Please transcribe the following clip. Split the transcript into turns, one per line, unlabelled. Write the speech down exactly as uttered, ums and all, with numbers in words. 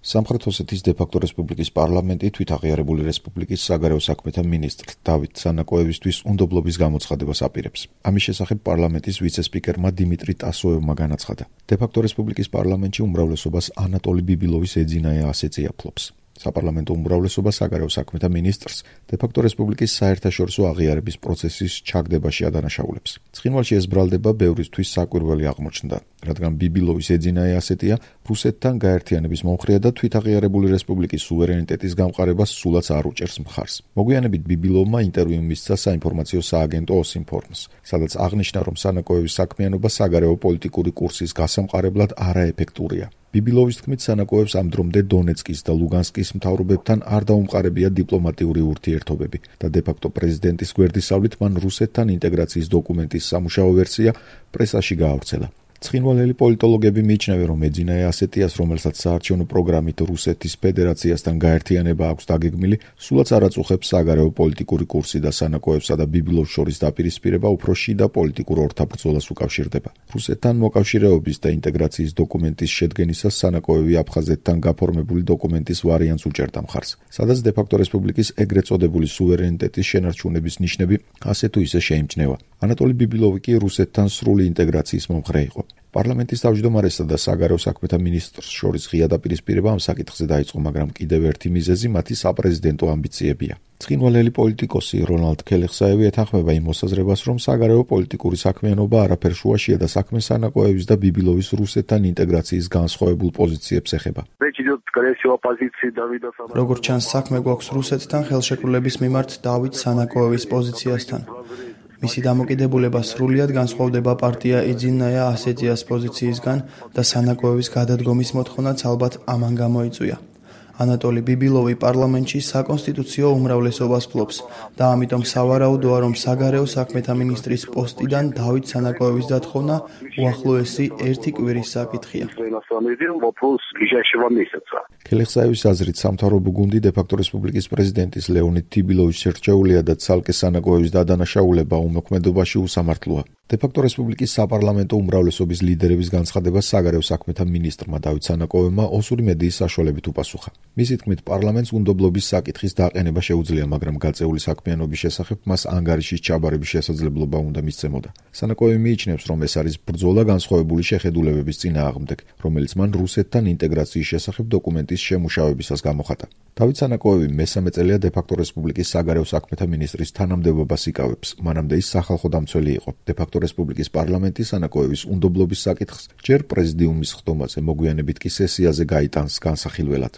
სამხრეთ ოსეთის დე-ფაქტო რესპუბლიკის პარლამენტი თვითაღიარებული რესპუბლიკის საგარეო საქმეთა მინისტრ დავით სანაკოევისთვის უნდობლობის გამოცხადებას აპირებს. ამის შესახებ პარლამენტის ვიცე-სპიკერმა დიმიტრი ტასოევმა განაცხადა. დე-ფაქტო რესპუბლიკის პარლამენტში უმრავლესობას ანატოლი ბიბილოვის ეძინა ასეწია ფლობს. საპარლამენტო უმრავლესობა საგარეო საქმეთა მინისტრს დე-ფაქტო რესპუბლიკის საერთაშორისო აღიარების პროცესის ჩაგდებაში ადანაშაულებს. ცხინვალში ეს ბრალდება ბევრისთვის საკვირველი აღმოჩნდა, რადგან ბიბილოვის ეძინა ასეტია რუსეთთან გაერთიანების მომხრეა და თვითაღიარებული რესპუბლიკის სუვერენიტეტის გამყარებას სულაც არ უჭერს მხარს. მოგვიანებით ბიბილოვმა ინტერვიუ მისცა საინფორმაციო სააგენტო ოსინფორმს, სადაც აღნიშნა, რომ სანაკოევის საქმიანობა საგარეო პოლიტიკური კურსის გასამყარებლად არაეფექტურია. ბიბილოვის თქმით, სანაკოევს ამ დრომდე დონეცკის და ლუგანსკის მთავრობებთან არ დაუმყარებია დიპლომატიური ურთიერთობები და დე-ფაქტო პრეზიდენტის გვერდისავლით მან რუსეთთან ინტეგრაციის დოკუმენტის სამუშაო ვერსია პრესაში გაავრცელა. ცხინვალელი პოლიტოლოგები მიიჩნევენ, რომ ეძინა ასეტიას, რომელსაც საარჩევნო პროგრამით რუსეთის ფედერაციასთან გაერთიანება აქვს დაგეგმილი, სულაც არ აწუხებს საგარეო პოლიტიკური კურსი და სანაკოევსა და ბიბილოვს შორის დაპირისპირება უფრო შიდა პოლიტიკურ ორთაბრძოლას უკავშირდება. რუსეთთან მოკავშირეობის და ინტეგრაციის დოკუმენტის შედგენისას სანაკოევი აფხაზეთთან გაფორმებული დოკუმენტის ვარიანტს უჭერდა მხარს, სადაც დე-ფაქტო რესპუბლიკის ეგრეთ წოდებული სუვერენიტეტის შენარჩუნების ნიშნები ასე თუ ისე შეიმჩნევა. ანატოლი ბიბილოვი კი რუსეთთან სრული ინტეგრაციის მომხრე იყო. პარლამენტის თავმჯდომარესა და საგარეო საქმეთა მინისტრს შორის ღია დაპირისპირება ამ საკითხზე დაიწყო, მაგრამ კიდევ ერთი მიზეზი მათი საპრეზიდენტო ამბიციებია. ცხინვალელი პოლიტიკოსი რონალდ ქელეხსაევი ეთანხმება იმ მოსაზრებას, რომ საგარეო პოლიტიკური საქმიანობა არაფერ შუაშია და საქმე სანაკოევის და ბიბილოვის რუსეთთან ინტეგრაციის განსხვავებულ პოზიციებს ეხება.
როგორც ჩანს, საქმე გვაქვს რუსეთთან ხელშეკრულების მიმართ დავით სანაკოევის პოზიციასთან. მისი დამოკიდებულება სრულიად განსხვავდება პარტია ეძინა ასეტიას პოზიციისგან და სანაკოევის გადადგომის მოთხოვნაც ალბათ ამან გამოიწვია. ანატოლი ბიბილოვი პარლამენტში საკონსტიტუციო უმრავლესობას ფლობს და ამიტომ სავარაუდოა, რომ საგარეო საქმეთა მინისტრის პოსტიდან დავით სანაკოევის დათხოვნა უახლოესი ერთი კვირის საკითხია.
ქელეხსაევის აზრით, სამთავრობო გუნდი დე-ფაქტო რესპუბლიკის პრეზიდენტის ლეონიდ თიბილოვის შერჩეულია და ცალკე სანაკოევის დადანაშაულება უმოქმედობაში უსამართლოა. დე-ფაქტო რესპუბლიკის საპარლამენტო უმრავლესობის ლიდერების განცხადებას საგარეო საქმეთა მინისტრმა დავით სანაკოევმა ოსური მედიის საშუალებით უპასუხა. მისი თქმით, პარლამენტს უნდობლობის საკითხის დაყენება შეუძლია, მაგრამ გაწეული საქმიანობის შესახებ მას ანგარიშის ჩაბარების შესაძლებლობა უნდა მისცემოდა. სანაკოევი მიიჩნევს, რომ ეს არის ბრძოლა განსხვავებული შეხედულებების წინააღმდეგ, რომელიც მან რუსეთთან ინტეგრაციის შესახებ დოკუმენტის შემუშავებისას გამოხატა. დავით სანაკოევი მესამე წელია დე-ფაქტო რესპუბლიკის საგარეო საქმეთა მინისტრის თანამდებობას იკავებს. მანამდე ის სახალხო დამცველი იყო. დე-ფაქტო რესპუბლიკის პარლამენტი სანაკოევის უნდობლობის საკითხს ჯერ პრეზიდიუმის ხდომაზე, მოგვიანებით კი სესიაზე გაიტანს განსახილველად.